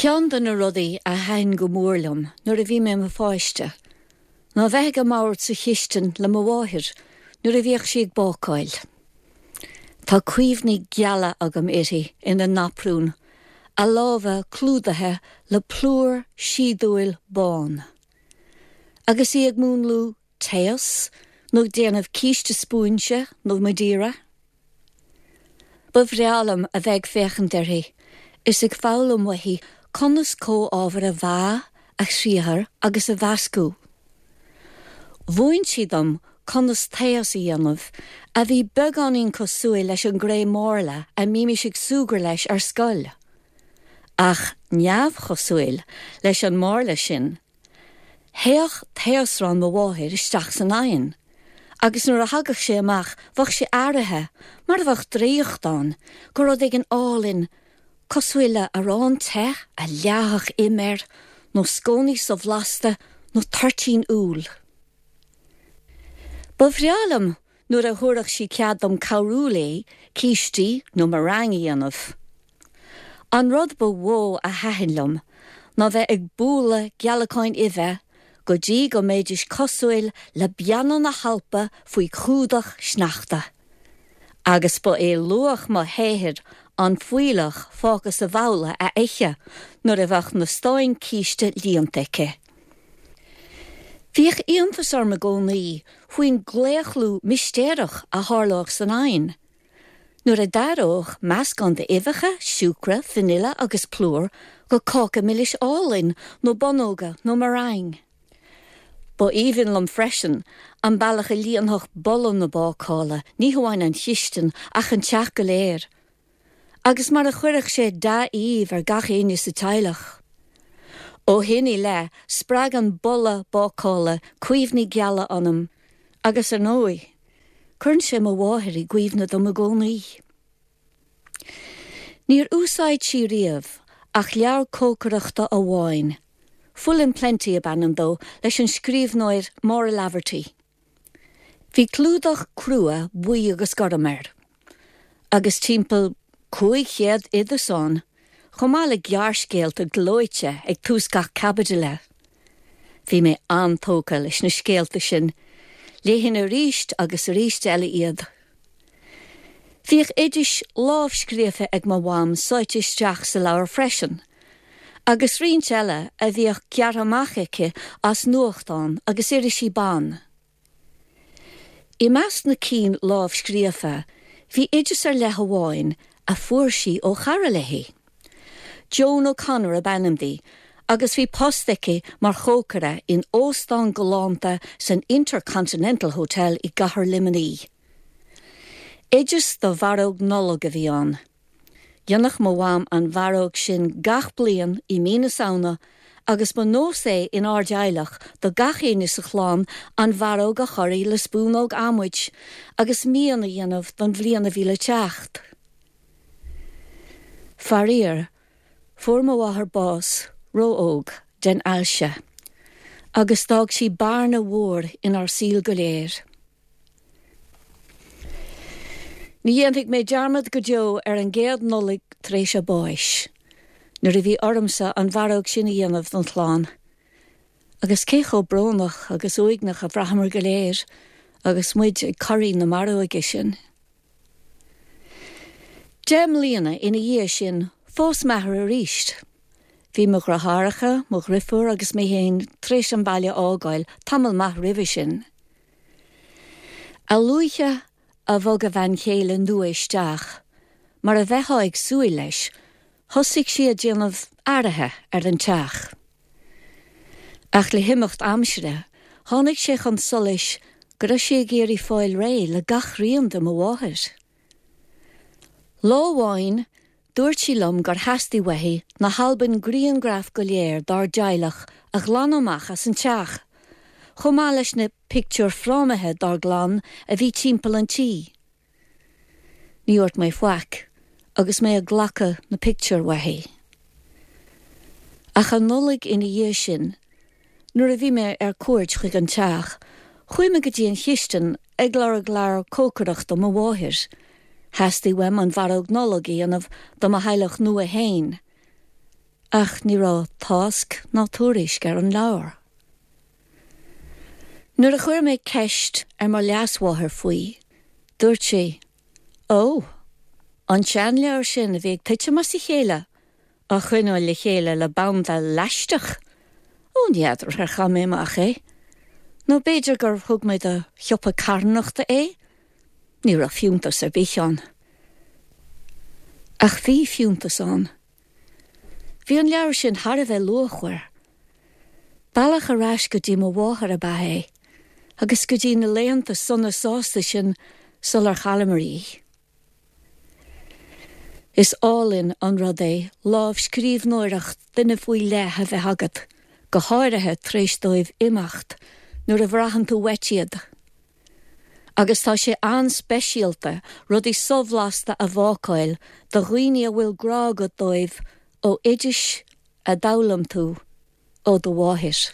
Ceann de na rudaí a thaitin go mór liom nuair a bhí mé i mo pháiste ná bheith ag an mbord sa chistin le mo mháthair nuair a bhíodh sí ag bácáil. Tá cuimhní geala agam uirthi ina naprún, a lámha clúdaithe le plúr síodúil bán, agus í ag múnlú taos nó ag déanamh císte spúinse nó Madeira. Ba bhreá liom a bheith ag féachaint uirthi is ag foghlaim uaithi conas comhábhair a mheá, a chriathar agus a mheascadh. Mhúin sí dom conas taos a dhéanamh a bhí beagáinín cosúil leis an gcré márla a mbímis ag súgradh leis ar scoil. Ach neamhchosúil leis an márla sin, Théadh taosrán mo mháthair isteach san oigheann, agus nuair a thagadh sé amach bheadh sé athraithe, mar a bheadh draíocht ann, go rud éigin álainn, cosúil le arán te a leáfadh im air, nó scónaí so-bhlasta, nó toirtín úll. Ba bhreá liom nuair a thabharfadh sí cead dom cabhrú léi cístí nó meringue a dhéanamh. An rud ba mhó a thaitin liom ná bheith ag bualadh gealacáin uibhe go dtí go mbeidís cosúil le beanna na hAlpa faoi chumhdach sneachta. Agus ba é luach mo shaothair an fuílleach fágtha sa bhabhla a ithe nuair a bheadh na stáin císte líonta aici. Bhíodh iontas orm i gcónaí faoin gclaochlú mistéireach a tharlódh san oigheann nuair a d'athródh meascán d'uibheacha, siúcra, vanilla agus plúr go cáca milis álainn nó bonnóga nó meringue. Ba aoibhinn liom freisin an bealach a líonfadh boladh na bácála ní hamháin an chistin ach an teach go léir. agus mar a chuirfeadh sé dea-aoibh ar gach éinne sa teaghlach. Ó shin i leith, spreagann boladh bácála cuimhní geala ionam agus, ar ndóigh, cuireann sé mo mháthair i gcuimhne dom i gcónaí. Níor úsáid sí riamh ach leabhar cócaireachta amháin, Full and Plenty ab ainm dó, leis an scríbhneoir Maura Laverty. Bhí clúdach crua buí agus gorm air, agus timpeall 500 oideas ann, chomh maith le gearrscéalta gleoite ag tús gach caibidle. Bhí mé an-tógtha leis na scéalta sin, léifinn arís agus arís eile iad. Bhíodh oidis lámhscríofa ag mo mham sáite isteach sa leabhar freisin, agus roinnt eile a bhíodh gearrtha amach aici as nuachtáin agus irisí ban. I measc na cinn lámhscríofa bhí oideas ar leith amháin a fuair sí ó chara léi. Joan O'Connor ab ainm di agus bhí post aici mar chócaire in óstán galánta san Intercontinental Hotel i gcathair Luimnigh. Oideas do mharóg Nollag a bhí ann. Dhéanadh mo mham an mharóg sin gach bliain i mí na Samhna agus ba nós é inár dteaghlach do gach éinne sa chlann an mharóg a chorraí le spúnóg adhmaid agus mian a dhéanamh don bhliain a bhí le teacht. Faraor, fuair mo mháthair bás ró-óg den ailse agus d'fhág sí bearna mhór inár saol go léir. Ní dhéanfaidh mé dearmad go deo ar an gcéad Nollaig tar éis a báis, nuair a bhí ormsa an mharóg sin a dhéanamh don chlann. Agus cé chomh brónach agus uaigneach a bhraitheamar go léir agus muid ag corraí na maróige sin. 10 mbliana ina dhiaidh sin, phós m'athair arís. Bhí mo dheartháireacha, mo dhrifiúr agus mé féin tar éis an baile a fhágáil tamall maith roimhe sin. A luaithe a bhog a bhean chéile nua isteach, mar a bheifeá ag súil leis, thosaigh sí ag déanamh athruithe ar an teach. Ach le himeacht aimsire, tháinig sé chun solais go raibh sí ag iarraidh fáil réidh le gach rian de mo mháthair. Lá amháin, dúirt sí liom gur theastaigh uaithi na halbaim grianghraf go léir dár dteaghlach a ghlanadh amach as an teach, chomh maith leis na pictiúir frámaithe dár gclann a bhí timpeall an tí. Ní dhúirt mé faic agus mé ag glacadh na pictiúr uaithi. Ach an Nollaig ina dhiaidh sin, Nuair a bhí mé ar cuairt chuig an teach, chuaigh mé go dtí an chistin ag lorg leabhar cócaireachta mo mháthair. Theastaigh uaim an mharóg Nollag a dhéanamh do mo theaghlach nua fhéin. Ach ní raibh tásc ná tuairisc ar an leabhar. Nuair a chuir mé ceist ar mo leasmháthair faoi, dúirt sí, Ó, an seanleabhar sin a bhí ag titim as a chéile, á choinneáil le chéile le banda leaisteach! Ó, n'fheadar ar chaith mé amach é. Nó b'fhéidir gur thug mé do shiopa carthanachta é? Ní raibh fiúntas ar bith ann. Ach bhí fiúntas ann. Bhí an leabhar sin thar a bheith luachmhar. Bealach ar ais go dtí mo mháthair ab ea é, agus go dtí na laethanta sona sásta sin sular chailleamar í. Is álainn an rud é lámhscríbhneoireacht duine faoi leith a bheith agat, go háirithe tar éis dóibh imeacht, nuair a bhraitheann tú uait iad. Agus tá sé an-speisialta rudaí sobhlasta a bhácáil do dhaoine a bhfuil grá agat dóibh ó oidis a d'fhoghlaim tú ó do mháthair.